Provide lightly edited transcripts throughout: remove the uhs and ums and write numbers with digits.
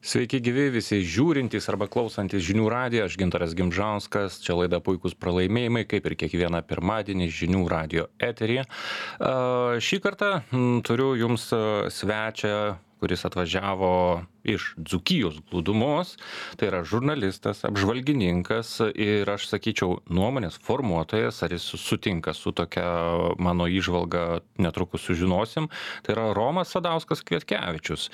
Sveiki gyvi visi žiūrintys arba klausantys žinių radiją, aš Gintaras Gimžauskas, čia laida Puikūs pralaimėjimai, kaip ir kiekvieną pirmadienį žinių radijo eteryje. Šį kartą turiu jums svečią, kuris atvažiavo iš Dzūkijos glūdumos, tai yra žurnalistas, apžvalgininkas ir aš sakyčiau nuomonės formuotojas, ar jis sutinka su tokia mano įžvalga, netrukus sužinosim, tai yra Romas Sadauskas Kvietkevičius.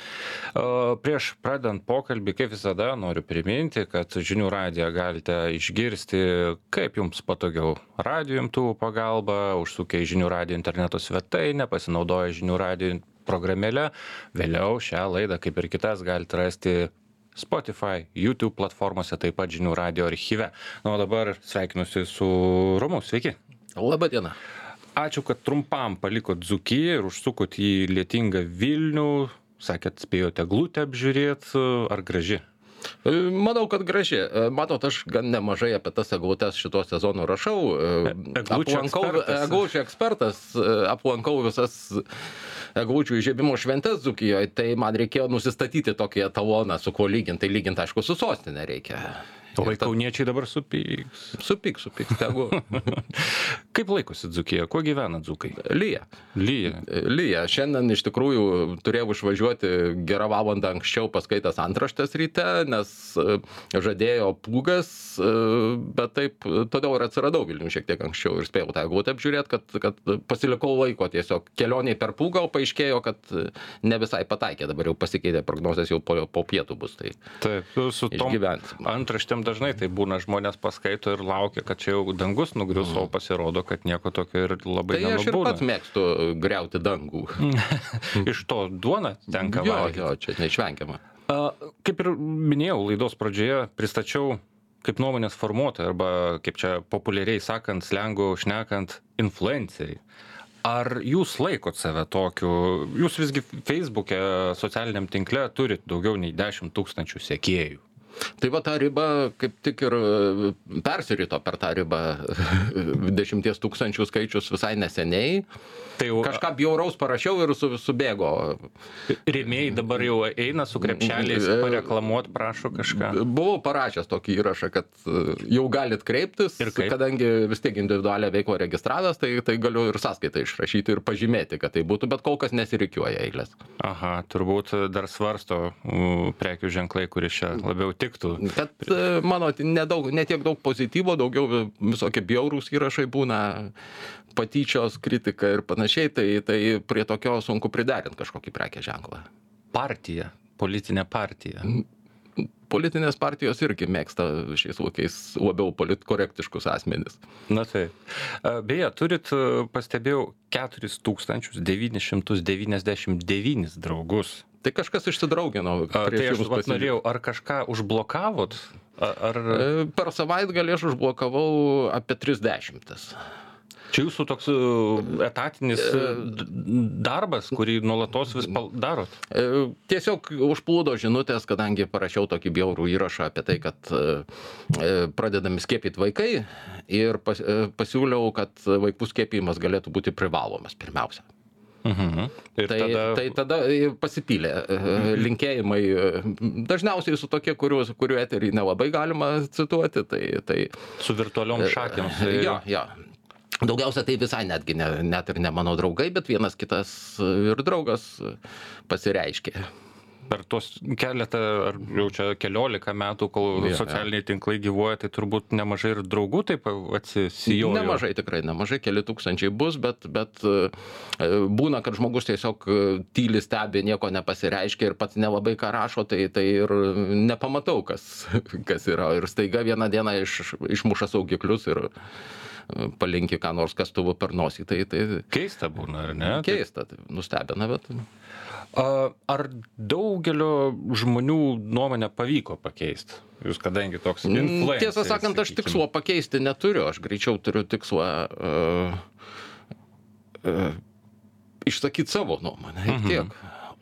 Prieš pradedant pokalbį, kaip visada, noriu priminti, kad žinių radiją galite išgirsti kaip jums patogiau. Radio imtuvų pagalba, užsukę į žinių radijo interneto svetainę, pasinaudoję žinių radijo programėlę. Vėliau šią laidą, kaip ir kitas, galite rasti Spotify, YouTube platformose, taip pat žinių radijo archyve. O dabar sveikinusi su Romu. Sveiki. Labą dieną. Ačiū, kad trumpam palikot Dzūkiją ir užsukot į lietingą Vilnių. Sakėt, spėjote eglutę apžiūrėti. Ar graži? Manau, kad graži. Matot, aš gan nemažai apie tas eglutes šito sezono rašau. Eglučių ekspertas. Aplankau visas eglučių įžiebimo šventes Dzūkijoje, tai man reikėjo nusistatyti tokį etaloną, su kuo lyginti. Tai lyginti, aišku, su sostinė reikia. O kauniečiai dabar supyks. Supyks, tegu. Kaip laikosi Dzūkija? Kuo gyvena dzūkai? Lyja. Šiandien iš tikrųjų turėjau išvažiuoti gerą valandą anksčiau paskaitęs antraštės ryte, nes žadėjo pūgas, bet taip, todėl ir atsiradau Vilnių šiek tiek anksčiau ir spėjau tą eglutę apžiūrėti, kad pasilikau laiko tiesiog kelioniai per pūgą, o paaiškėjo, kad ne visai pataikė, dabar jau pasikeitė prognozės, jau po pietų bus, tai taip, su tom antraštėm dažnai tai būna, žmonės paskaito ir laukia, kad čia jau dangus nugrius, o pasirodo, kad nieko tokio ir labai nenubūna. Tai aš ir pats mėgstu griauti dangų. Iš to duona tenka valgyti. Jo, čia neišvengiama. Kaip ir minėjau laidos pradžioje, pristačiau kaip nuomonės formuotoją arba, kaip čia populiariai sakant, slengu šnekant, influenceriai. Ar jūs laikot save tokiu? Jūs visgi Facebook'e, socialiniam tinkle turit daugiau nei 10 000 sekėjų. Tai va ta riba kaip tik ir persirito per tą ribą 10 000 skaičius visai neseniai. Tai jau kažką bjauraus parašiau ir subėgo. Rėmėjai dabar jau eina su krepšeliais pareklamuot, prašo kažką. Buvau parašęs tokį įrašą, kad jau galit kreiptis, kadangi vis tiek individualią veiklą registravęs, tai galiu ir sąskaitą išrašyti ir pažymėti, kad tai būtų, bet kol kas nesirikiuoja eilės. Aha, turbūt dar svarsto prekių ženklai, kuris čia labiau tiktų. Kad mano, ne tiek daug pozityvo, daugiau visokie bjaurūs įrašai būna, patyčios, kritika ir panašiai, tai prie tokio sunku priderinti kažkokį prekės ženklą. Partija, politinė partija. Politinės partijos irgi mėgsta šiais laikais labiau politkorektiškus asmenis. Na tai. Beje, turit, pastebėjau, 4999 draugus. Tai kažkas išsidraugino. Tai aš norėjau, ar kažką užblokavot? Per savaitgalį aš užblokavau apie 30. Čia jūsų toks etatinis darbas, kurį nuolatos vis darot? Tiesiog užplūdo žinutės, kadangi parašiau tokį bjaurų įrašą apie tai, kad pradedami skiepyti vaikai ir pasiūliau, kad vaikų skiepijimas galėtų būti privalomas pirmiausia. Tai tada pasipylė linkėjimai, dažniausiai su tokie, kurių eterį nelabai galima cituoti. Tai su virtualiom šakėm. Jo. Daugiausia tai visai netgi net ir ne mano draugai, bet vienas kitas ir draugas pasireiškė. Per tuos keletą, ar jau čia 14 metų, kol socialiniai tinklai gyvuoja, tai turbūt nemažai ir draugų taip atsisijojo. Nemažai, tikrai nemažai, keli tūkstančiai bus, bet būna, kad žmogus tiesiog tyli stebi, nieko nepasireiškia ir pats nelabai ką rašo, tai ir nepamatau, kas yra. Ir staiga vieną dieną išmuša saugiklius ir palinki ką nors kastuvu per nosį. Tai keista būna, ar ne? Keista, tai nustebina, bet... Ar daugelio žmonių nuomonę pavyko pakeisti? Jūs kadangi toks influenceris. Tiesą sakant, aš tikslo pakeisti neturiu. Aš greičiau turiu tikslą išsakyti savo nuomonę. Ir tiek.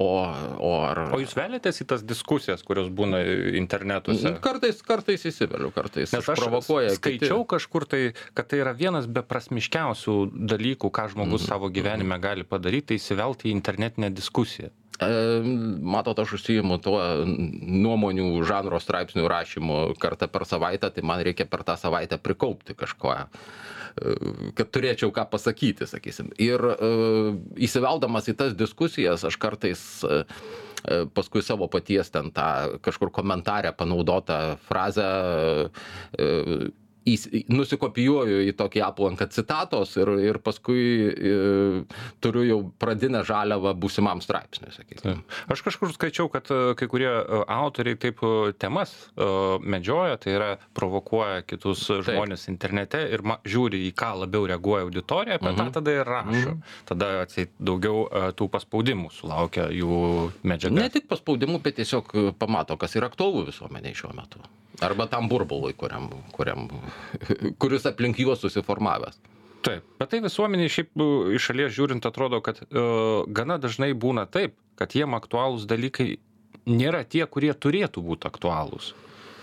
O jūs velėtės į tas diskusijas, kurios būna internetuose? Kartais įsiveliu, kartais Nes aš provokuoja skaičiau kažkur tai, kad tai yra vienas beprasmiškiausių dalykų, ką žmogus savo gyvenime gali padaryti, tai įsivelti į internetinę diskusiją. Matot, aš užsiimu tuo nuomonių žanro straipsnių rašymu kartą per savaitę, tai man reikia per tą savaitę prikaupti kažko, kad turėčiau ką pasakyti, sakysim. Ir įsiveldamas į tas diskusijas, aš kartais paskui savo paties ten tą kažkur komentarę panaudotą frazę nusikopijuoju į tokį aplanką citatos ir paskui turiu jau pradinę žaliavą būsimam straipsniui, sakykim. Aš kažkur skaičiau, kad kai kurie autoriai taip temas medžioja, tai yra provokuoja kitus žmonės internete ir žiūri, į ką labiau reaguoja auditorija, apie tą tada ir rašo. Tada atseit daugiau tų paspaudimų sulaukia jų medžiaga. Ne tik paspaudimų, bet tiesiog pamato, kas yra aktualu visuomeniai šiuo metu. Arba tam burbului, kuris aplink juos susiformavęs. Taip, bet tai visuomeniai šiaip iš šalies žiūrint atrodo, kad gana dažnai būna taip, kad jiem aktualūs dalykai nėra tie, kurie turėtų būti aktualūs.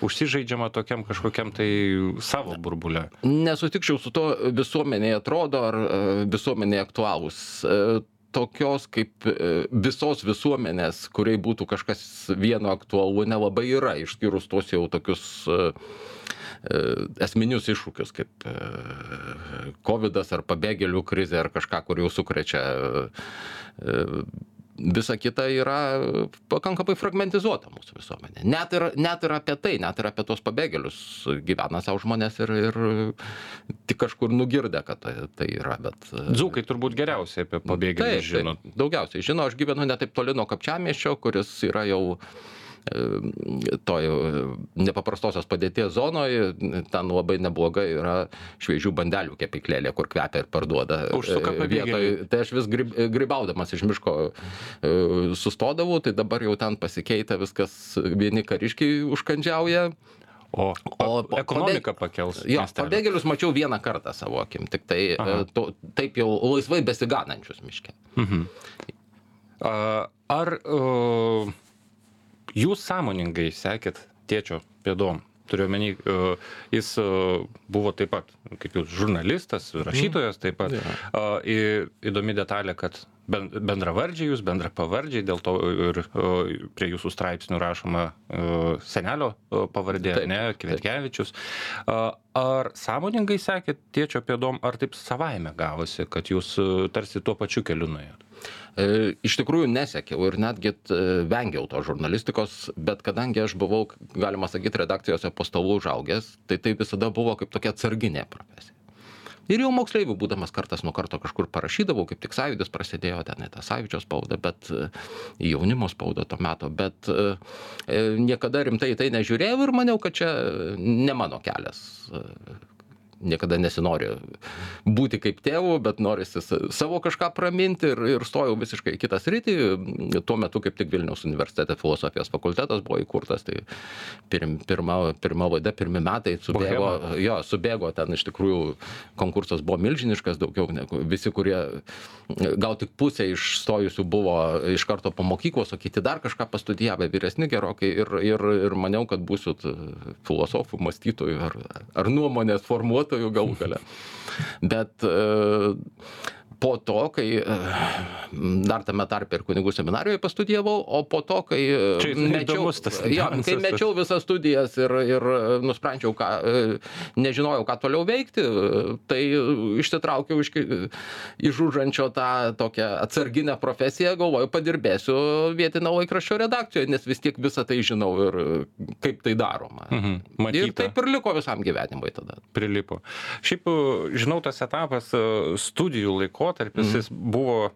Užsižaidžiama tokiam kažkokiam tai savo burbule. Nesutikčiau su to, visuomeniai atrodo, ar visuomeniai aktualūs. Tokios kaip visos visuomenės, kuriai būtų kažkas vieno aktualu, nelabai yra, išskyrus tos jau tokius esminius iššūkius, kaip covidas ar pabėgėlių krizė ar kažką, kur jau sukrečia. Visa kita yra pakankamai fragmentizuota mūsų visuomenė. Net ir apie tai, net ir apie tos pabėgėlius gyvena savo žmonės ir tik kažkur nugirdę, kad tai yra. Bet dzūkai turbūt geriausiai apie pabėgėlius žino. Taip, daugiausiai žino, aš gyvenu ne taip toli nuo Kapčiamiesčio, kuris yra jau toj nepaprastosios padėties zonoje, ten labai neblogai yra šviežių bandelių kepyklėlė, kur kvepia ir parduoda. Užsuka pabėgėliai. Tai aš vis grybaudamas iš miško sustodavau, tai dabar jau ten pasikeitė viskas, vieni kariškiai užkandžiauja. O ekonomika pakels. Jo, pabėgėlius mačiau vieną kartą savo akim, tik tai taip jau laisvai besiganančius miške. Ar jūs sąmoningai sekėt tėčio pėdom? Turiu omeny, jis buvo taip pat, kaip jūs, žurnalistas, rašytojas taip pat. Įdomi detalė, kad bendravardžiai jūs, bendrapavardžiai, dėl to ir prie jūsų straipsnių rašoma senelio pavardė, ne, Kvietkevičius. Ar sąmoningai sekėt tėčio pėdom, ar taip savaime gavosi, kad jūs tarsi tuo pačiu keliu nuėjot? Iš tikrųjų nesekiau ir netgi vengiau to žurnalistikos, bet kadangi aš buvau, galima sakyti, redakcijose po stalu užaugęs, tai visada buvo kaip tokia atsarginė profesija. Ir jau moksleivių būdamas kartas nuo karto kažkur parašydavau, kaip tik Sąjūdis prasidėjo, ten tą Sąjūdžio spaudą, bet jaunimo spaudą to meto, bet niekada rimtai tai nežiūrėjau ir maniau, kad čia ne mano kelias. Niekada nesinori būti kaip tėvų, bet norisi savo kažką praminti ir stojau visiškai į kitą sritį. Tuo metu kaip tik Vilniaus universitete filosofijos fakultetas buvo įkurtas, tai pirma laida, pirmi metai subėgo ten, iš tikrųjų konkursas buvo milžiniškas, daugiau negu visi, kurie gal tik pusė išstojusių buvo iš karto po mokyklos, o kiti dar kažką pastudijavę, vyresni gerokai ir maniau, kad būsiu filosofų, mąstytojų ar nuomonės formuotojų galų gale. Bet po to, kai dar tame tarpe ir kunigų seminarijoje pastudijavau, o po to, kai mečiau visas studijas ir nusprendžiau, nežinojau, ką toliau veikti, tai išsitraukiau iš užančio tą tokią atsarginę profesiją, galvoju, padirbėsiu vietinio laikraščio redakcijoje, nes vis tiek visą tai žinau ir kaip tai daroma. Ir taip ir liko visam gyvenimui tada. Prilipo. Šiaip, žinau, tas etapas studijų laikotarpis, jis buvo,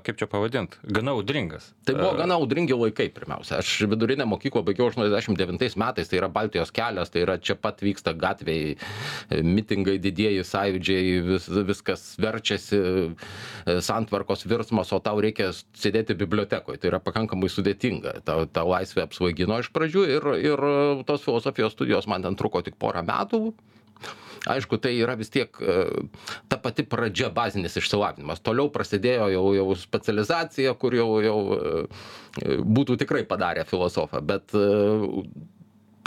kaip čia pavadint, gana audringas. Tai buvo gana audringi laikai pirmiausia. Aš vidurinę mokyklą baigiau 89 metais, tai yra Baltijos kelias, tai yra čia pat vyksta gatviai, mitingai, didieji sąjūdžiai, viskas verčiasi, santvarkos virsmas, o tau reikia sėdėti bibliotekoje. Tai yra pakankamai sudėtinga. Ta laisvė apsvaigino iš pradžių ir tos filosofijos studijos man ten truko tik porą metų. Aišku, tai yra vis tiek ta pati pradžia, bazinis išsilavinimas. Toliau prasidėjo jau specializacija, kur jau būtų tikrai padarę filosofą, bet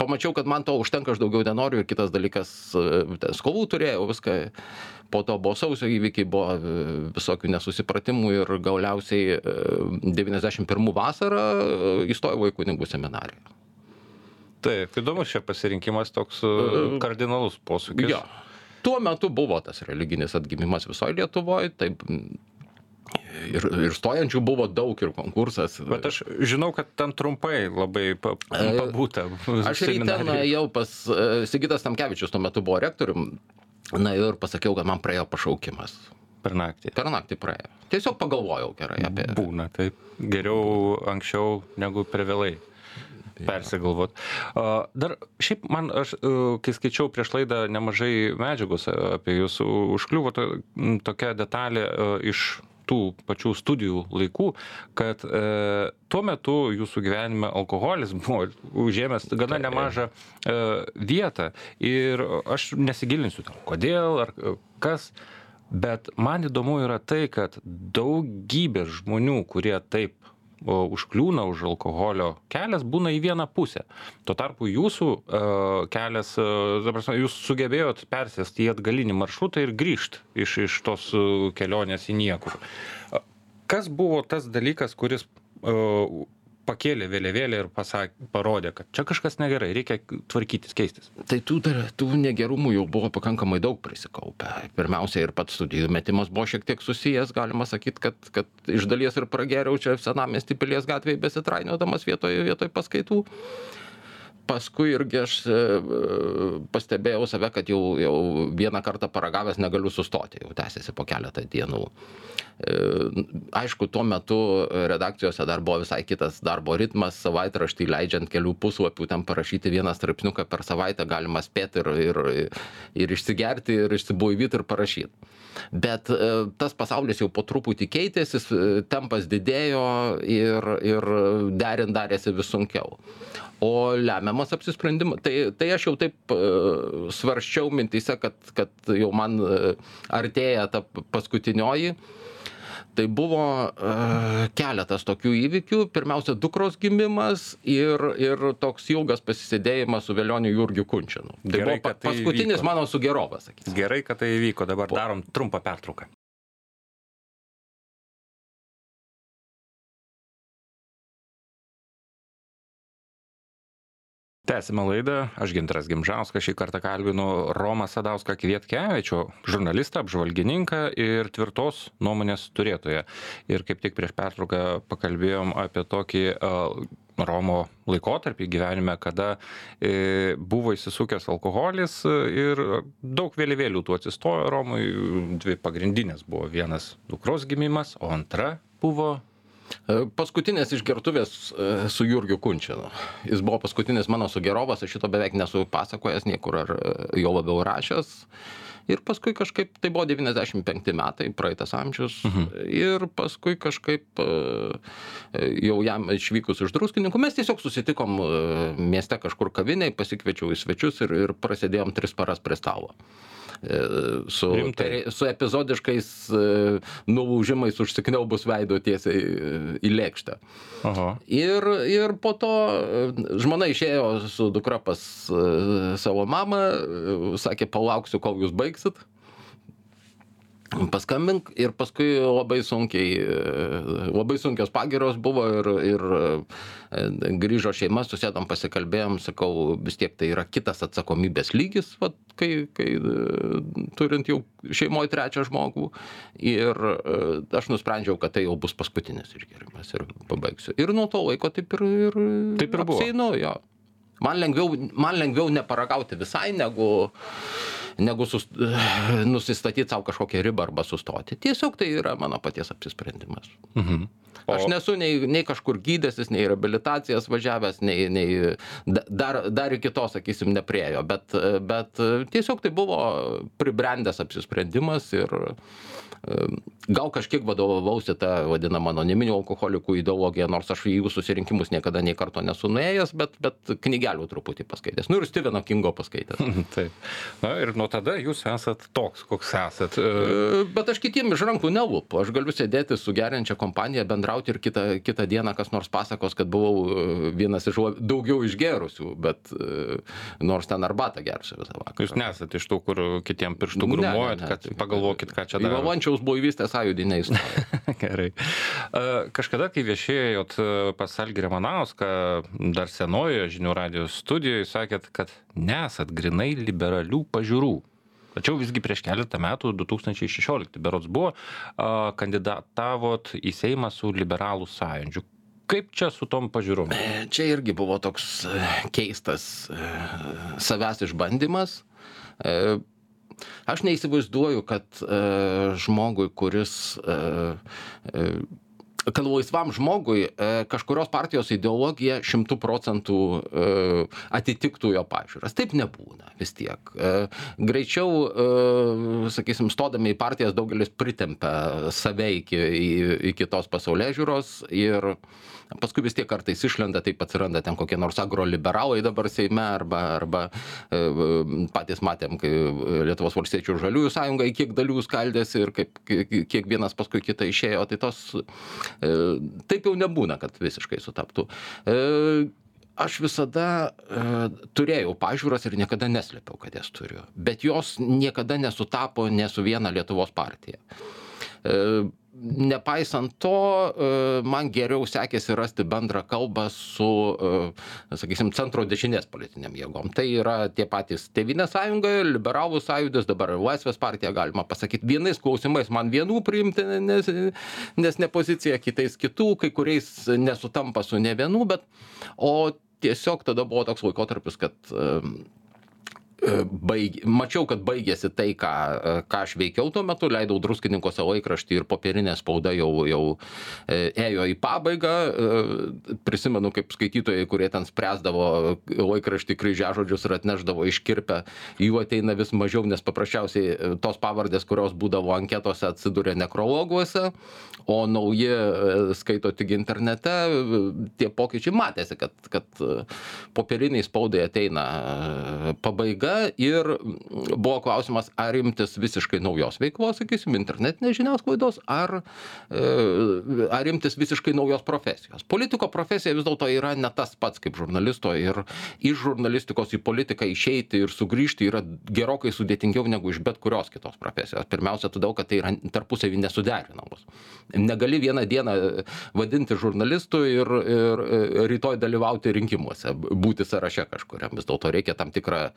pamačiau, kad man to užtenka, aš daugiau nenoriu, ir kitas dalykas, skolų turėjau, viską, po to buvo sausio įvykiai, buvo visokių nesusipratimų ir galiausiai 91 vasarą įstojau į kunigų seminariją. Taip, įdomus čia pasirinkimas, toks kardinalus posūkis. Jo. Tuo metu buvo tas religinis atgimimas visoje Lietuvoje, taip, ir stojančių buvo daug, ir konkursas. Bet aš žinau, kad ten trumpai labai pabūta. Aš ryte nuėjau pas Sigitas Tamkevičius, tuo metu buvo rektorium, ir pasakiau, kad man praėjo pašaukimas. Per naktį? Per naktį praėjo. Tiesiog pagalvojau gerai apie... Būna, taip. Geriau anksčiau negu per vėlai persigalvot. Dar šiaip man, aš kai skaičiau prieš laidą nemažai medžiagos apie jūs, užkliuvo tokia detalė iš tų pačių studijų laikų, kad tuo metu jūsų gyvenime alkoholis buvo užėmęs gana nemažą vietą ir aš nesigilinsiu tam, kodėl ar kas, bet man įdomu yra tai, kad daugybė žmonių, kurie taip užkliūna už alkoholio kelias, būna į vieną pusę. Tuo tarpu jūsų kelias, jūs sugebėjot persėsti į atgalinį maršrutą ir grįžt iš tos kelionės į niekur. Kas buvo tas dalykas, kuris pakėlė vėliavėlę ir parodė, kad čia kažkas negerai, reikia tvarkytis, keistis? Tai tų negerumų jau buvo pakankamai daug prisikaupę. Pirmiausia, ir pats studijų metimas buvo šiek tiek susijęs, galima sakyti, kad iš dalies ir pragėriau čia Senamiesty Pilies gatvėje besitrainiodamas vietoj paskaitų. Paskui irgi aš pastebėjau save, kad jau vieną kartą paragavęs negaliu sustoti, jau tęsiasi po keletą dienų. Aišku, tuo metu redakcijose dar buvo visai kitas darbo ritmas, savaitraštį leidžiant kelių puslapių, ten parašyti vieną straipsniuką per savaitę galima spėti ir išsigerti, ir išsibuivyti, ir parašyti. Bet tas pasaulis jau po truputį keitėsi, tempas didėjo ir derint darėsi vis sunkiau. O lemiamas apsisprendimas, tai aš jau taip svarsčiau mintyse, kad jau man artėja ta paskutinioji. Tai buvo keletas tokių įvykių. Pirmiausia, dukros gimimas ir toks ilgas pasisėdėjimas su Velioniu Jurgiu Kunčinu. Tai gerai, buvo paskutinis įvyko. Mano sugerovas, sakysim. Gerai, kad tai įvyko. Dabar darom trumpą pertrauką. Tęsime laidą. Aš Gintaras Gimžauskas, šį kartą kalbinu Romą Sadauską Kvietkevičių, žurnalistą, apžvalgininką ir tvirtos nuomonės turėtoją. Ir kaip tik prieš pertrauką pakalbėjom apie tokį Romo laikotarpį gyvenime, kada buvo įsisukęs alkoholis ir daug vėliavėlių tų atsistojo Romui. Dvi pagrindinės buvo: vienas dukros gimimas, o antra buvo paskutinės išgertuvės su Jurgiu Kunčinu. Jis buvo paskutinis mano sugerovas, aš šito beveik nesu pasakojęs niekur ar jo labiau rašęs. Ir paskui kažkaip, tai buvo 95 metai, praeitas amžius, ir paskui kažkaip jau jam išvykus iš Druskininkų, mes tiesiog susitikom mieste kažkur kaviniai, pasikviečiau į svečius ir prasidėjom 3 paras prie stalo. Su epizodiškais nulūžimais užsikniaubus veido tiesiai į lėkštę. Aha. Ir po to žmona išėjo su dukra pas savo mamą, sakė, palauksiu, kol jūs baigsit. Paskambink, ir paskui labai sunkios pagyros buvo ir grįžo šeima, susėdom, pasikalbėjom, sakau, vis tiek tai yra kitas atsakomybės lygis, vat, kai turint jau šeimoje 3 žmogų, ir aš nusprendžiau, kad tai jau bus paskutinis išgerimas ir pabaigsiu. Ir nuo to laiko taip ir apseinu, jo. Man lengviau neparagauti visai, negu nusistatyti savo kažkokią ribą arba sustoti. Tiesiog tai yra mano paties apsisprendimas. Aš nesu nei kažkur gydęsis, nei reabilitacijas važiavęs, nei dar iki to, sakysim, nepriejo. Bet tiesiog tai buvo pribrendęs apsisprendimas ir gal kažkiek vadovausi tą vadinamą anoniminių alkoholikų ideologiją, nors aš į jų susirinkimus niekada nei karto nesu nuėjęs, bet knygelių truputį paskaitęs. Ir Stepheno Kingo paskaitęs. Taip. Na ir nuo tada jūs esat toks, koks esat. Bet aš kitiem iš rankų nelupu. Aš galiu sėdėti su geriančia kompanija, bendrauti ir kitą dieną kas nors pasakos, kad buvau vienas iš daugiau išgerusių, bet nors ten arbatą gersiu visą vakarą. Jūs nesat iš tų, kur kitiem pirštų grumuojat, kad pagalvokit, ką čia darot. Valančiaus buivystės sąjūdį neįstojo. Gerai. Kažkada, kai viešėjot pas Algį Ramanauską, dar senojoje Žinių radijos studijoje, sakėt, kad nesat grinai liberalių pažiūrų. Tačiau visgi prieš keletą metų, 2016 berods buvo, kandidatavot į Seimą su Liberalų sąjūdžiu. Kaip čia su tom pažiūrom? Čia irgi buvo toks keistas savęs išbandymas. Aš neįsivaizduoju, kad žmogui, kad laisvam žmogui kažkurios partijos ideologija 100% atitiktų jo pažiūras. Taip nebūna vis tiek. Greičiau, sakysim, stodami į partijas daugelis pritempia save iki tos pasaulėžiūros ir paskui vis tiek kartais išlenda, taip atsiranda ten kokie nors agroliberalai dabar Seime arba patys matėm, kai Lietuvos valstiečių ir žaliųjų sąjunga į kiek dalių skaldėsi ir kiek vienas paskui kitą išėjo, tai tos taip jau nebūna, kad visiškai sutaptų. Aš visada turėjau pažiūras ir niekada neslėpiau, kad jas turiu, bet jos niekada nesutapo ne su viena Lietuvos partija. Nepaisant to, man geriau sekėsi rasti bendrą kalbą su, sakysim, centro dešinės politiniam jėgom. Tai yra tie patys Tėvynės sąjunga, Liberalų sąjūdis, dabar Laisvės partija, galima pasakyti. Vienais klausimais man vienų priimti, nes ne pozicija, kitais kitų, kai kuriais nesutampa su ne vienų, o tiesiog tada buvo toks laikotarpis, kad mačiau, kad baigėsi tai, ką aš veikiau tuo metu, leidau Druskininkuose laikraštį ir popierinė spauda jau ėjo į pabaigą. Prisimenu, kaip skaitytojai, kurie ten spręsdavo laikraštį kryžiažodžius ir atnešdavo iškirpę, jų ateina vis mažiau, nes paprasčiausiai tos pavardės, kurios būdavo anketose, atsiduria nekrologuose, o nauji skaito tik internete. Tie pokyčiai matėsi, kad popieriniai spaudai ateina pabaiga. Ir buvo klausimas, ar imtis visiškai naujos veiklos, sakysim, internetinės žiniasklaidos, ar imtis visiškai naujos profesijos. Politiko profesija vis dėlto yra ne tas pats kaip žurnalisto ir iš žurnalistikos į politiką išeiti ir sugrįžti yra gerokai sudėtingiau negu iš bet kurios kitos profesijos. Pirmiausia, todėl, kad tai yra tarpusavy nesuderinamos. Negali vieną dieną vadinti žurnalistu ir rytoj dalyvauti rinkimuose, būti sąraše kažkuriam. Vis dėlto reikia tam tikrą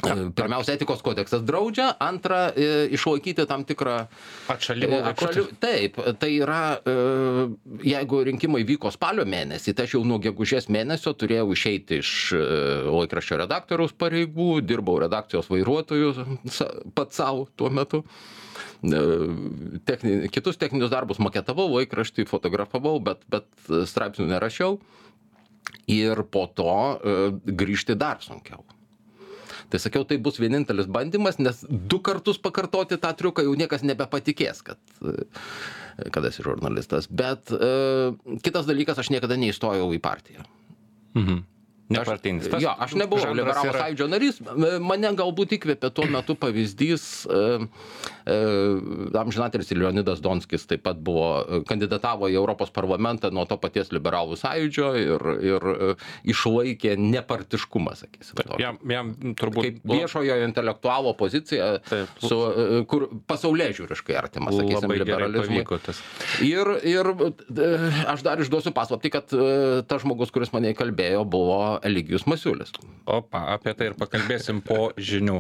pirmiausia, etikos kodeksas draudžia, antra, išlaikyti tam tikrą atšalimą. Taip, tai yra, jeigu rinkimai vyko spalio mėnesį, tai aš jau nuo gegužės mėnesio turėjau išeiti iš laikraščio redaktoriaus pareigų, dirbau redakcijos vairuotojų pats savo tuo metu. Kitus techninius darbus maketavau, laikraštį fotografavau, bet straipsnių nerašiau ir po to grįžti dar sunkiau. Tai sakiau, tai bus vienintelis bandymas, nes 2 kartus pakartoti tą triuką jau niekas nebepatikės, kad esi žurnalistas. Bet kitas dalykas, aš niekada neįstojau į partiją. Nepartinis. Aš nebuvau Liberalų sąjūdžio narys, mane galbūt įkvėpė tuo metu pavyzdys, amžinatilsį Leonidas Donskis taip pat kandidatavo į Europos parlamentą nuo to paties Liberalų sąjūdžio ir išlaikė nepartiškumą, sakysim. Jam turbūt kaip viešojo intelektualo pozicija, kur pasaulėžiūriškai artima, sakysim, liberalizmui. Ir aš dar išduosiu paslaptį, kad tas žmogus, kuris mane įkalbėjo, buvo Eligijus Masiulis. Opa, apie tai ir pakalbėsim po žinių.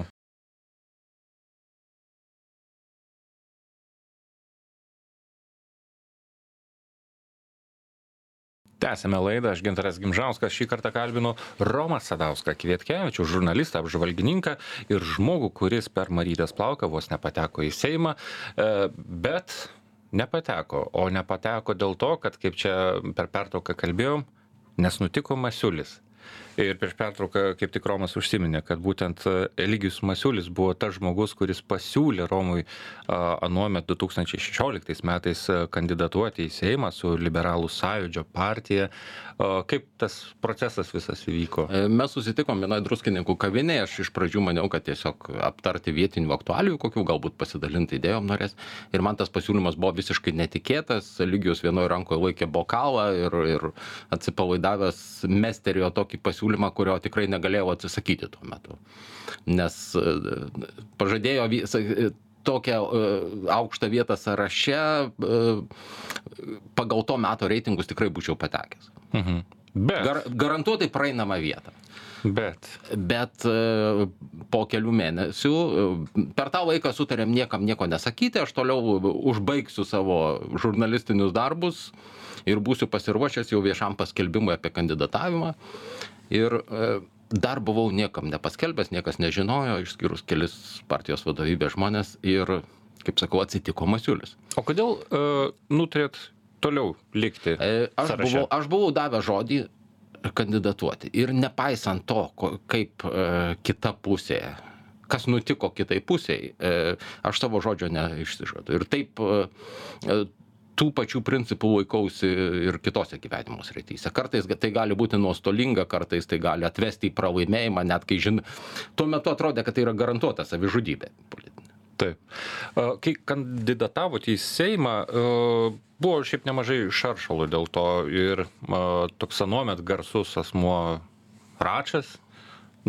Tęsime laidą, aš Gintaras Gimžauskas, šį kartą kalbinu Romą Sadauską Kvietkevičių, žurnalistą, apžvalgininką ir žmogų, kuris per Marytės plauką vos nepateko į Seimą, bet nepateko, o nepateko dėl to, kad, kaip čia per pertrauką kalbėjom, nes nutiko Masiulis. Ir prieš pertrauką kaip tik Romas užsiminė, kad būtent Eligijus Masiulis buvo tas žmogus, kuris pasiūlė Romui anuomet 2016 metais kandidatuoti į Seimą su Liberalų sąjūdžio partija. Kaip tas procesas visas įvyko? Mes susitikom vienoje Druskininkų kavinėje, aš iš pradžių maniau, kad tiesiog aptarti vietinių aktualijų, kokių galbūt pasidalinti idėjom norės. Ir man tas pasiūlymas buvo visiškai netikėtas. Eligijus vienoje rankoje laikė bokalą ir atsipalaidavęs mestelėjo tokį pasiūlymą, kurio tikrai negalėjau atsisakyti tuo metu. Nes pažadėjo tokią aukštą vietą sąraše, pagal to meto reitingus tikrai būčiau patekęs. Garantuotai praeinamą vietą. Bet po kelių mėnesių, per tą laiką sutarėm niekam nieko nesakyti, aš toliau užbaigsiu savo žurnalistinius darbus ir būsiu pasiruošęs jau viešam paskelbimui apie kandidatavimą. Ir dar buvau niekam nepaskelbęs, niekas nežinojo, išskyrus kelis partijos vadovybės žmonės ir, kaip sakau, atsitiko Masiulis. O kodėl nutarėt toliau likti sąraše? Aš buvau davęs žodį kandidatuoti ir nepaisant to, kaip kita pusė, kas nutiko kitai pusiai, aš savo žodžio neišsižadu. Ir taip tų pačių principų laikausi ir kitose gyvenimo srityse. Kartais tai gali būti nuostolinga, kartais tai gali atvesti į pralaimėjimą, net kai tuo metu atrodė, kad tai yra garantuota savižudybė politinė. Taip. Kai kandidatavote į Seimą, buvo šiaip nemažai šaršalų dėl to ir toks anuomet garsus asmuo Račas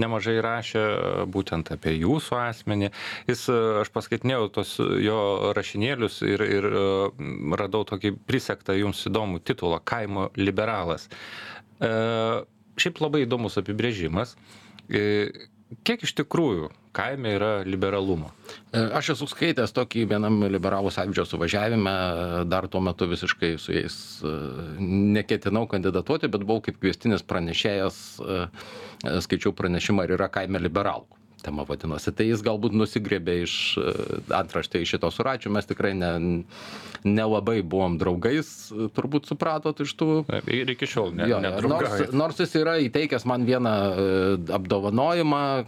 nemažai rašė būtent apie jūsų asmenį. Aš paskaitinėjau tos jo rašinėlius ir radau tokį prisektą jums įdomų titulą Kaimo liberalas. Šiaip labai įdomus apibrėžimas. Kiek iš tikrųjų kaime yra liberalumo? Aš esu skaitęs tokį vienam liberalų sąjūdžio suvažiavime, dar tuo metu visiškai su jais neketinau kandidatuoti, bet buvau kaip kviestinis pranešėjas, skaičiau pranešimą, ar yra kaime liberalų. Tema vadinosi. Tai jis galbūt nusigrėbė iš antraštė iš šito su Račiu. Mes tikrai nelabai buvom draugais, turbūt supratot iš tų. Ir iki šiol nedraugaujat. Nors jis yra įteikęs man vieną apdovanojimą,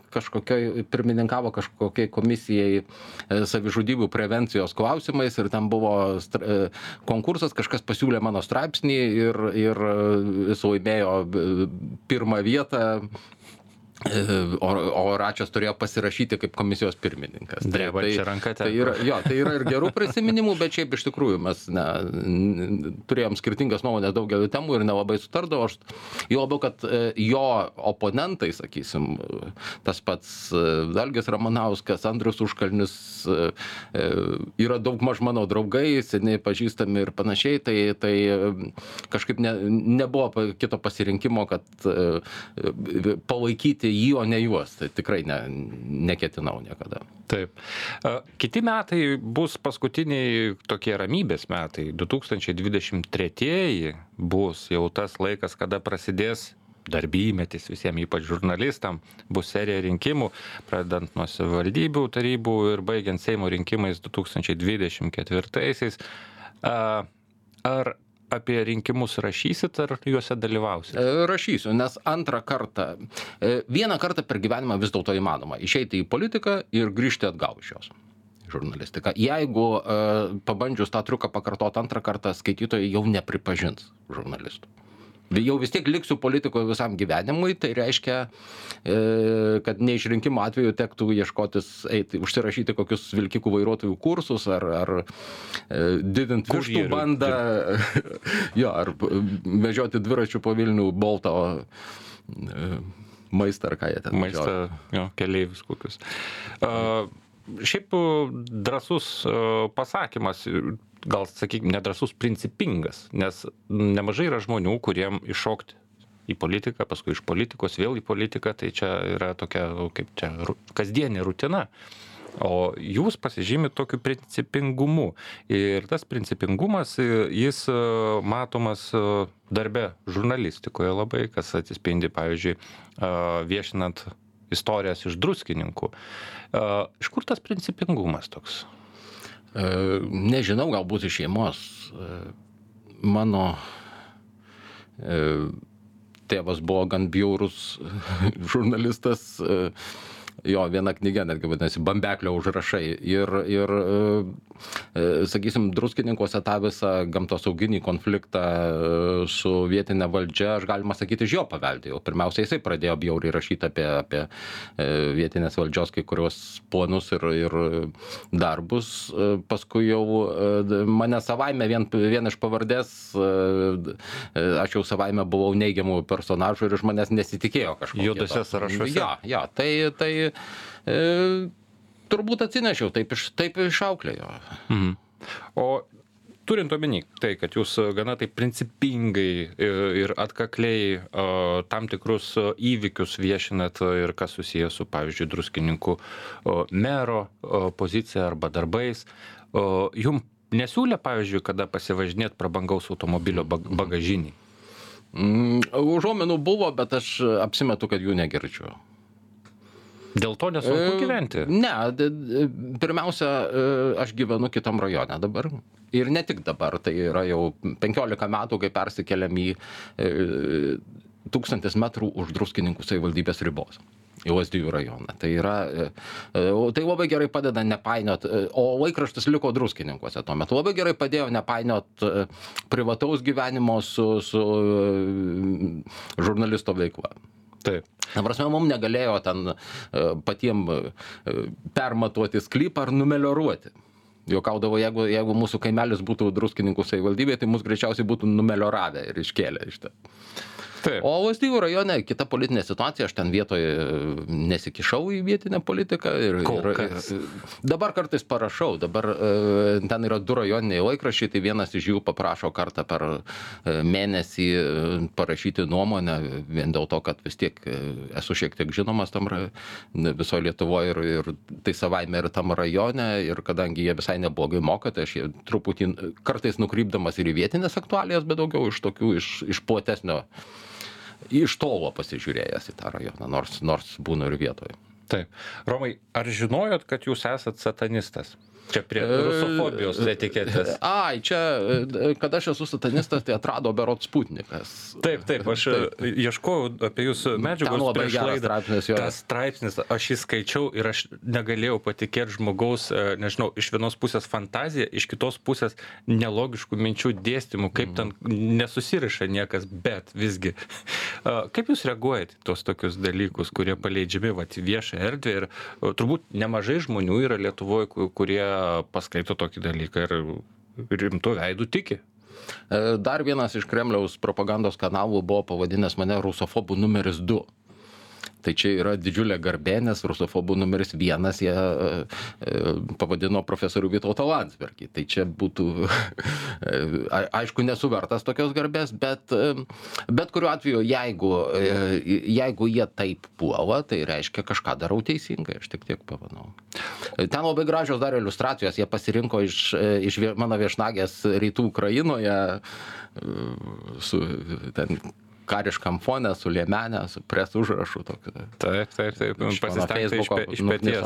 pirmininkavo kažkokiai komisijai savižudybių prevencijos klausimais ir ten buvo konkursas, kažkas pasiūlė mano straipsnį ir jis laimėjo pirmą vietą. O Račias turėjo pasirašyti kaip komisijos pirmininkas. Drebančia ranka tai yra ir gerų prisiminimų, bet šiaip iš tikrųjų mes turėjom skirtingas nuomonės daugeliu temų ir nelabai sutardavo. Jo labiau, kad jo oponentai, sakysim, tas pats Algis Ramanauskas, Andrius Užkalnis, yra daugmaž mano draugai, seniai pažįstami ir panašiai, tai kažkaip nebuvo kito pasirinkimo, kad palaikyti jį, o ne juos. Tai tikrai neketinau niekada. Taip. Kiti metai bus paskutiniai tokie ramybės metai. 2023 bus jau tas laikas, kada prasidės darbymetis visiems, ypač žurnalistam, bus serija rinkimų, pradedant nuo savivaldybių tarybų ir baigiant Seimo rinkimais 2024. Ar apie rinkimus rašysit, ar juose dalyvausit? Rašysiu, nes vieną kartą per gyvenimą vis dėlto įmanoma išeiti į politiką ir grįžti atgal iš jos. Žurnalistiką. Jeigu pabandžius tą triuką pakartoti antrą kartą, skaitytojai jau nepripažins žurnalistų. Jau vis tiek liksiu politikoje visam gyvenimui, tai reiškia, kad neišrinkimo atveju tektų užsirašyti kokius vilkikų vairuotojų kursus ar didinti vištų bandą, ar vežioti dviračių po Vilnių Bolto maistą ar ką jie ten maistą, keleivius kokius. Šiaip drąsus pasakymas, gal sakykime, nedrąsus, principingas, nes nemažai yra žmonių, kuriem iššokti į politiką, paskui iš politikos vėl į politiką, tai čia yra tokia, kaip čia, kasdienė rutina. O jūs pasižymit tokiu principingumu. Ir tas principingumas, jis matomas darbe žurnalistikoje labai, kas atsispindi, pavyzdžiui, viešinant istorijas iš Druskininkų. Iš kur tas principingumas toks? Nežinau, galbūt iš šeimos. Mano tėvas buvo gan bjaurus žurnalistas. Jo, viena knyga netgi vadinasi Bambeklio užrašai. Ir sakysim, Druskininkuose tą visą gamtosauginį konfliktą su vietinė valdžia, aš galima sakyti, iš jo paveldėjau. Pirmiausia, jisai pradėjo bjauriai rašyti apie vietinės valdžios kai kurios planus ir darbus. Paskui jau mane savaime, vien iš pavardės, aš jau savaime buvau neigiamų personažų ir iš manęs nesitikėjo kažko. Juodose sąrašuose. Jo, tai turbūt atsinešiau, taip išauklėjo. O turint omeny tai, kad jūs gana taip principingai ir atkakliai tam tikrus įvykius viešinat ir kas susijęs su, pavyzdžiui, Druskininkų mero pozicija arba darbais, jum nesiūlė, pavyzdžiui, kada pasivažinėt prabangaus automobilio bagažinį? Užuominų buvo, bet aš apsimetu, kad jų negirdžiu. Dėl to nesunku gyventi? Ne, pirmiausia, aš gyvenu kitam rajone dabar. Ir ne tik dabar, tai yra jau 15 metų, kai persikeliam į 1000 metrų už Druskininkų savivaldybės ribos. Į Lazdijų rajoną. Tai labai gerai padeda nepainiot, o laikraštis liko Druskininkuose tuo metu. Labai gerai padėjo nepainiot privataus gyvenimo su žurnalisto veikla. Taip. Na, prasme, mums negalėjo ten patiem permatuoti sklypą ar numelioruoti. Juokaudavo, jeigu mūsų kaimelis būtų Druskininkų savivaldybėje, tai mus greičiausiai būtų numelioravę ir iškėlę iš ten. Taip. O Lazdijų rajone kita politinė situacija, aš ten vietoje nesikišau į vietinę politiką. Dabar kartais parašau, dabar ten yra 2 rajoniniai laikraščiai, tai vienas iš jų paprašo kartą per mėnesį parašyti nuomonę, vien dėl to, kad vis tiek esu šiek tiek žinomas tam visoje Lietuvoje ir tai savaime ir tam rajone, ir kadangi jie visai neblogai moka, tai aš truputį kartais nukrypdamas ir į vietinės aktualijas, bet daugiau iš tokių, iš platesnio, iš tolo pasižiūrėjęs į tą rajoną, nors būnu ir vietoje. Taip. Romai, ar žinojot, kad jūs esat satanistas? Čia prie rusofobijos etiketės. Čia, kad aš esu satanistas, tai atrado berods Sputnikas. Taip, aš ieškojau apie jūsų medžiagos prieš laidą. Tas straipsnis, aš jį skaičiau ir aš negalėjau patikėti žmogaus, nežinau, iš vienos pusės fantazija, iš kitos pusės nelogiškų minčių dėstymų, kaip ten nesusiriša niekas, bet visgi. Kaip jūs reaguojate tos tokius dalykus, kurie paleidžiami į viešą erdvę ir turbūt nemažai žmonių yra Lietuvoje, kurie paskaito tokį dalyką ir rimtų veidų tiki. Dar vienas iš Kremliaus propagandos kanalų buvo pavadinęs mane rusofobų numeris 2. Tai čia yra didžiulė garbė, nes rusofobų numeris 1 jie pavadino profesorių Vytautą Landsbergį. Tai čia būtų, aišku, nesu vertas tokios garbės, bet kuriuo atveju, jeigu jie taip puola, tai reiškia kažką darau teisingai, aš tik tiek pamanau. Ten labai gražios dar iliustracijos, jie pasirinko iš mano viešnagės rytų Ukrainoje su ten kariškam fone, su liemenė, su pres užrašu tokiu. Taip, pasistengti iš peties.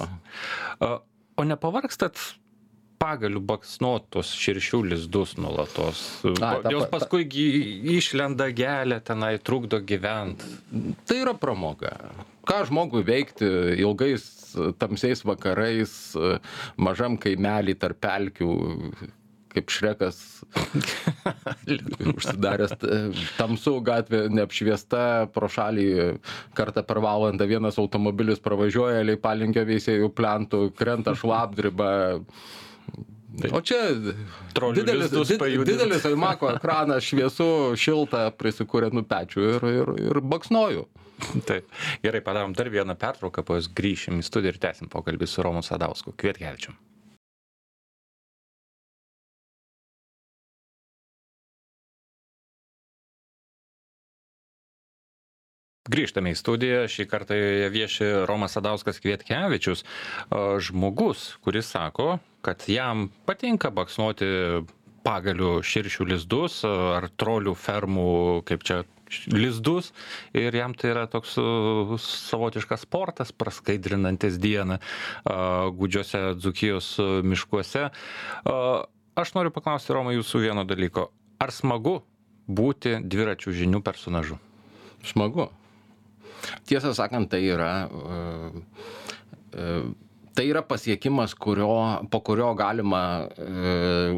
O nepavargstat pagalių baksnuot tos širšių lizdus nuolatos? Jos paskui išlenda gelė, tenai trukdo gyventi. Tai yra pramoga. Ką žmogui veikti ilgais tamsiais vakarais, mažam kaimelį tarp pelkių, kaip Šrekas užsidaręs tamsų gatvė neapšviesta, pro šalį kartą per valandą vienas automobilis pravažiuoja, Leipalingio veisiejų plentų, krenta šlapdriba. O čia didelis Aimako ekranas, šviesu, šilta, prisikūrė pečių ir baksnoju. Taip. Gerai, padarom dar vieną pertrauką, po jos grįšim į studiją ir tęsim pokalbį su Romu Sadausku. Kvietkevičium. Grįžtame į studiją, šį kartą joje vieši Romas Sadauskas Kvietkevičius, žmogus, kuris sako, kad jam patinka baksnuoti pagalių širšių lizdus ar trolių fermų, kaip čia, lizdus, ir jam tai yra toks savotiškas sportas, praskaidrinantis dieną gūdžiuose Dzūkijos miškuose. Aš noriu paklausti, Romai, jūsų vieno dalyko. Ar smagu būti dviračių žinių personažu? Smagu. Tiesą sakant, tai yra pasiekimas, po kurio galima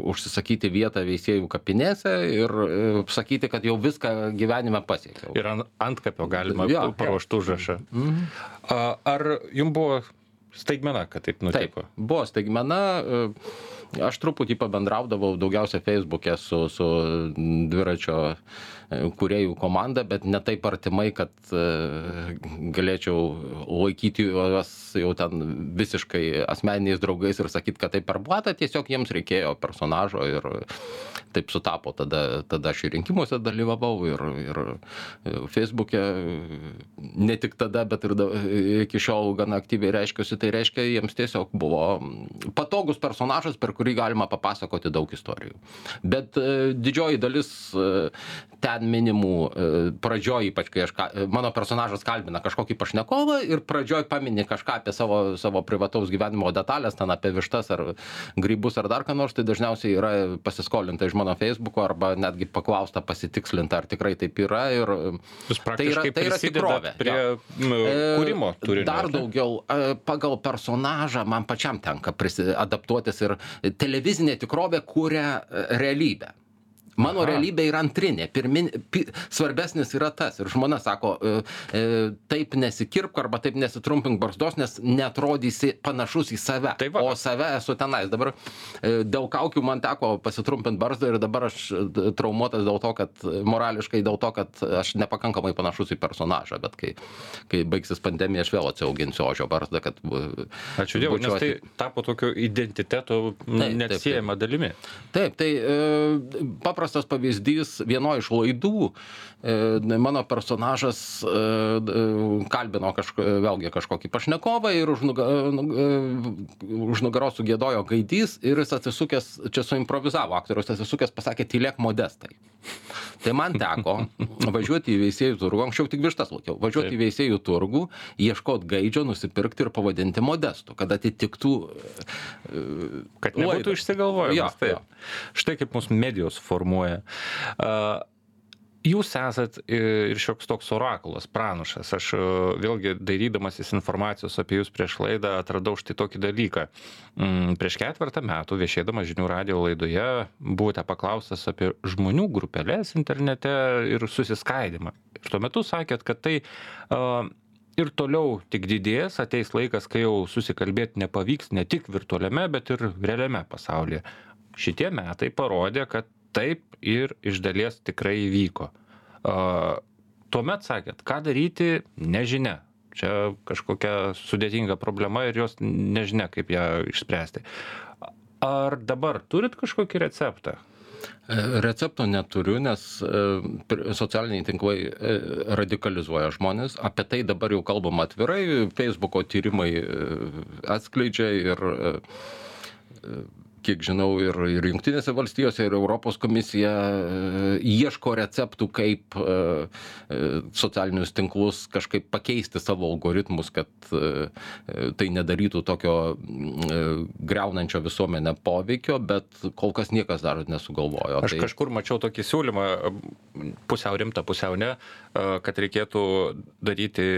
užsisakyti vietą veisiejų kapinėse ir sakyti, kad jau viską gyvenime pasiekiau. Ir antkapio galima paruošti užrašą. Ar jums buvo staigmena, kad taip nutiko? Taip, buvo staigmena. Aš truputį pabendraudavau daugiausia Facebook'e su dviračio kūrėjų komanda, bet ne taip artimai, kad galėčiau laikyti juos jau ten visiškai asmeniniais draugais ir sakyti, kad tai per blatą, tiesiog jiems reikėjo personažo ir taip sutapo. Tada aš ir rinkimuose dalyvavau ir Facebook'e ne tik tada, bet ir iki šiol gana aktyviai reiškiuosi. Tai reiškia, jiems tiesiog buvo patogus personažas, per kurį galima papasakoti daug istorijų. Bet didžioji dalis ten minimų pradžioj, ypač kai mano personažas kalbina kažkokį pašnekovą ir pradžioj pamini kažką apie savo privataus gyvenimo detalės, ten apie vištas ar grybus ar dar ką nors, tai dažniausiai yra pasiskolinta iš mano Facebooko arba netgi paklausta pasitikslinta, ar tikrai taip yra. Ir jūs praktiškai prisidedate prie kūrimo turinio. Dar daugiau pagal personažą man pačiam tenka adaptuotis ir televizinė tikrovė kuria realybę. Mano realybė yra antrinė, svarbesnis yra tas. Ir žmona sako, taip nesikirpk arba taip nesitrumpink barzdos, nes neatrodysi panašus į save. O save esu tenais. Dabar dėl kaukių man teko pasitrumpinti barzdą ir dabar aš traumuotas dėl to, kad morališkai dėl to, kad aš nepakankamai panašus į personažą. Bet kai baigsis pandemija, aš vėl atsiauginsiu ožio barzdą, kad... Ačiū Dievui, nes tai tapo tokio identiteto neatsiejama dalimi. Taip, tai paprastas pavyzdys, vieno iš laidų mano personažas kalbino vėlgi kažkokį pašnekovą ir už nugaros sugiedojo gaidys ir jis atsisukęs, čia suimprovizavo aktorius, atsisukęs pasakė, tylėk Modestai. Tai man teko važiuoti į veisėjų turgų, anksčiau tik vištas laukiau, važiuoti į veisėjų turgų, ieškoti gaidžio, nusipirkti ir pavadinti Modestu, kad atitiktų... Kad nebūtų išsigalvojimas. Štai kaip mūsų medijos formuoja. Jūs esat ir šioks toks orakulas, pranašas. Aš vėlgi dairydamasis informacijos apie jūs prieš laidą atradau štai tokį dalyką. Prieš 4 metų viešėdamas Žinių radijo laidoje buvote paklaustas apie žmonių grupelės internete ir susiskaidimą. Ir tuo metu sakėt, kad tai ir toliau tik didės, ateis laikas, kai jau susikalbėti nepavyks ne tik virtualiame, bet ir realiame pasaulyje. Šitie metai parodė, kad taip ir iš dalies tikrai įvyko. Tuomet sakėt, ką daryti, nežinia. Čia kažkokia sudėtinga problema ir jos nežinia, kaip ją išspręsti. Ar dabar turit kažkokį receptą? Recepto neturiu, nes socialiniai tinklai radikalizuoja žmonės. Apie tai dabar jau kalbam atvirai. Facebooko tyrimai atskleidžia ir kiek žinau, ir Jungtinėse valstijose, ir Europos komisija ieško receptų, kaip socialinius tinklus kažkaip pakeisti savo algoritmus, kad tai nedarytų tokio griaunančio visuomenę poveikio, bet kol kas niekas dar nesugalvojo. Aš kažkur mačiau tokį siūlymą, pusiau rimtą, pusiau ne, kad reikėtų daryti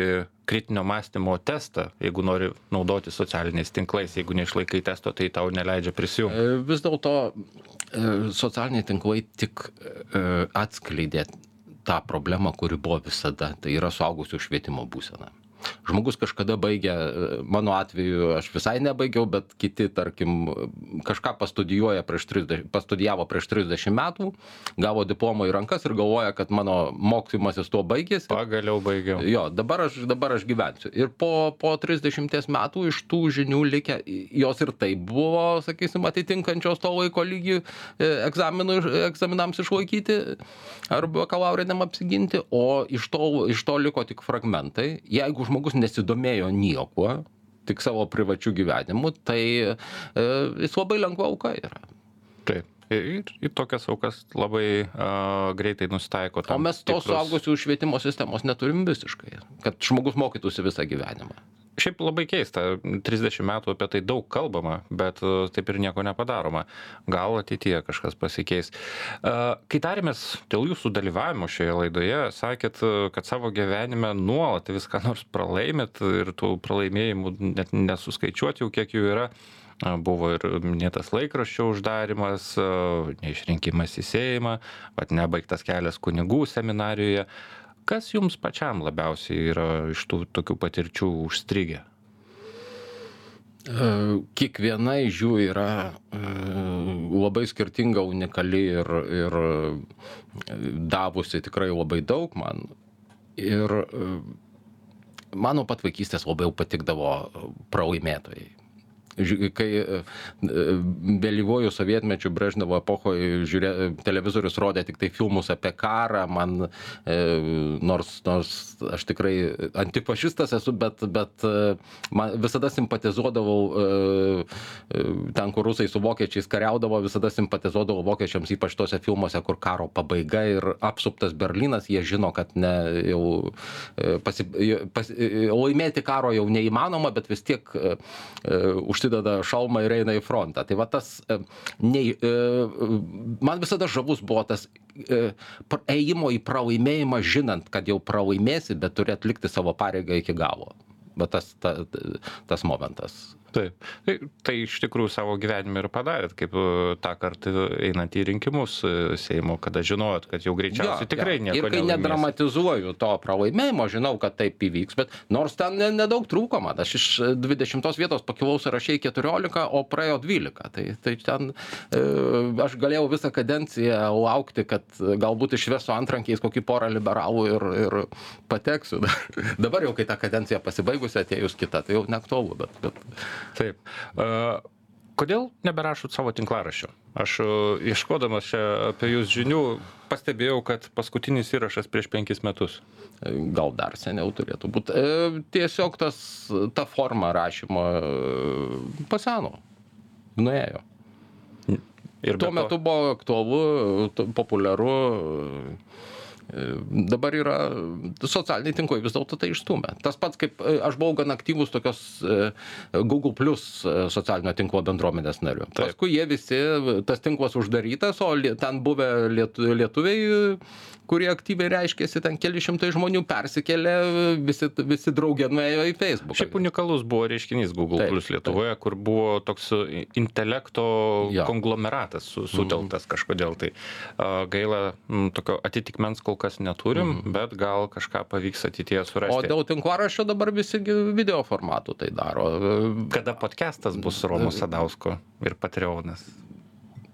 kritinio mąstymo testą, jeigu nori naudoti socialiniais tinklais. Jeigu neišlaikai testo, tai tau neleidžia prisijungti. Vis dėlto socialiniai tinklai tik atskleidė tą problemą, kuri buvo visada. Tai yra suaugusių švietimo būsena. Žmogus kažkada baigė, mano atveju aš visai nebaigiau, bet kiti, tarkim, kažką pastudijavo prieš 30 metų, gavo diplomą į rankas ir galvoja, kad mano mokymasis tuo baigėsi. Pagaliau baigiau. Jo, dabar aš gyvensiu. Ir po 30 metų iš tų žinių likę, jos ir taip buvo, sakysim, atitinkančios to laiko lygį egzaminams išlaikyti ar bakalauriniam apsiginti, o iš to liko tik fragmentai. Jeigu žmogus nesidomėjo niekuo, tik savo privačių gyvenimų, tai jis labai lengva auka yra. Taip. Ir tokias aukas labai greitai nusitaiko. O mes tos suaugusių švietimo sistemos neturim visiškai, kad žmogus mokytųsi visą gyvenimą. Šiaip labai keista, 30 metų apie tai daug kalbama, bet taip ir nieko nepadaroma. Gal ateityje kažkas pasikeis. Kai tarėmės dėl jūsų dalyvavimo šioje laidoje, sakėt, kad savo gyvenime nuolat viską nors pralaimėt ir tų pralaimėjimų net nesuskaičiuoti jau kiek jų yra. Buvo ir minėtas laikraščio uždarimas, neišrinkimas į Seimą, nebaigtas kelias kunigų seminarijoje. Kas jums pačiam labiausiai yra iš tų tokių patirčių užstrigę? Kiekviena iš jų yra labai skirtinga, unikali ir davusi tikrai labai daug man. Ir mano pat vaikystės labai patikdavo pralaimėtojai. Kai vėlyvuoju sovietmečiu Brežnevo epochoje televizorius rodė tik tai filmus apie karą, man, nors aš tikrai antifašistas esu, bet man visada simpatizuodavau ten, kur rusai su vokiečiais kariaudavo, visada simpatizuodavau vokiečiams, ypač tose filmuose, kur karo pabaiga ir apsuptas Berlynas, jie žino, kad laimėti karo jau neįmanoma, bet vis tiek užsideda šalmą ir eina į frontą. Tai va tas, man visada žavus buvo tas ėjimo į pralaimėjimą, žinant, kad jau pralaimėsi, bet turi atlikti savo pareigą iki galo. Bet tas momentas. Taip. Tai iš tikrųjų savo gyvenime ir padarėt, kaip tą kartą einant į rinkimus Seimo, kada žinojot, kad jau greičiausiai tikrai nieko nelaimės. Ir kai nedramatizuoju to pralaimėjimo, žinau, kad taip įvyks, bet nors ten nedaug trūko man. Aš iš 20 vietos pakilau sąraše į 14, o praėjo 12. Tai ten aš galėjau visą kadenciją laukti, kad galbūt išvesiu antrankiais kokį porą liberalų ir pateksiu. Dabar jau, kai ta kadencija pasibaigusi, atėjus kita, tai jau neaktualu, bet... Taip. Kodėl neberašot savo tinklaraščio? Aš ieškodamas čia apie jūs žinių pastebėjau, kad paskutinis įrašas prieš 5 metus. Gal dar seniau turėtų būti. Tiesiog ta forma rašymo paseno, nuėjo. Ir tuo metu buvo aktualu, populiaru. Dabar yra socialiniai tinklai vis dėlto tai išstumia. Tas pats, kaip aš buvau gan aktyvus tokios Google Plus socialinio tinklo bendruomenės nariu. Paskui jie visi, tas tinklas uždarytas, o ten buvę lietuviai, kurie aktyviai reiškėsi, ten keli šimtai žmonių persikėlė, visi draugė nuėjo į Facebook. Šiaip unikalus buvo reiškinys Google Plus Lietuvoje, kur buvo toks intelekto konglomeratas sutelktas kažkodėl. Tai gaila, tokio atitikmens kol kas neturim, bet gal kažką pavyks ateityje surasti. O dėl tinklaraščio dabar visi video formatų tai daro. Kada podcastas bus Romo Sadausko ir Patreonas?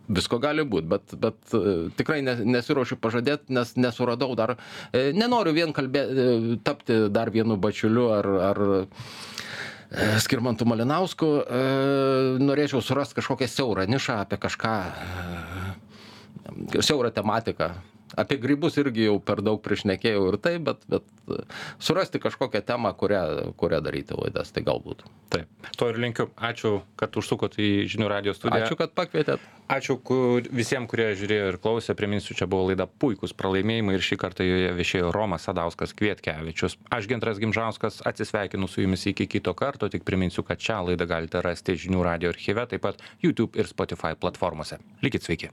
Visko gali būti, bet tikrai nesiruošiu pažadėti, nes nesuradau dar. Nenoriu vien tapti dar vienu Bačiuliu ar Skirmantu Malinausku. Norėčiau surasti kažkokią siaurą nišą apie kažką, siaurą tematiką. Apie grybus irgi jau per daug prišnekėjau ir tai, bet surasti kažkokią temą, kurią daryti laidas, tai galbūt. Taip, to ir linkiu. Ačiū, kad užsukot į Žinių radijo studiją. Ačiū, kad pakvietėt. Ačiū visiems, kurie žiūrėjo ir klausė. Priminsiu, čia buvo laida Puikūs pralaimėjimai ir šį kartą joje viešėjo Romas Sadauskas Kvietkevičius. Aš Gintaras Gimžauskas atsisveikinu su jumis iki kito karto, tik priminsiu, kad šią laidą galite rasti Žinių radijo archyve, taip pat YouTube ir Spotify platformose. Likit sveiki.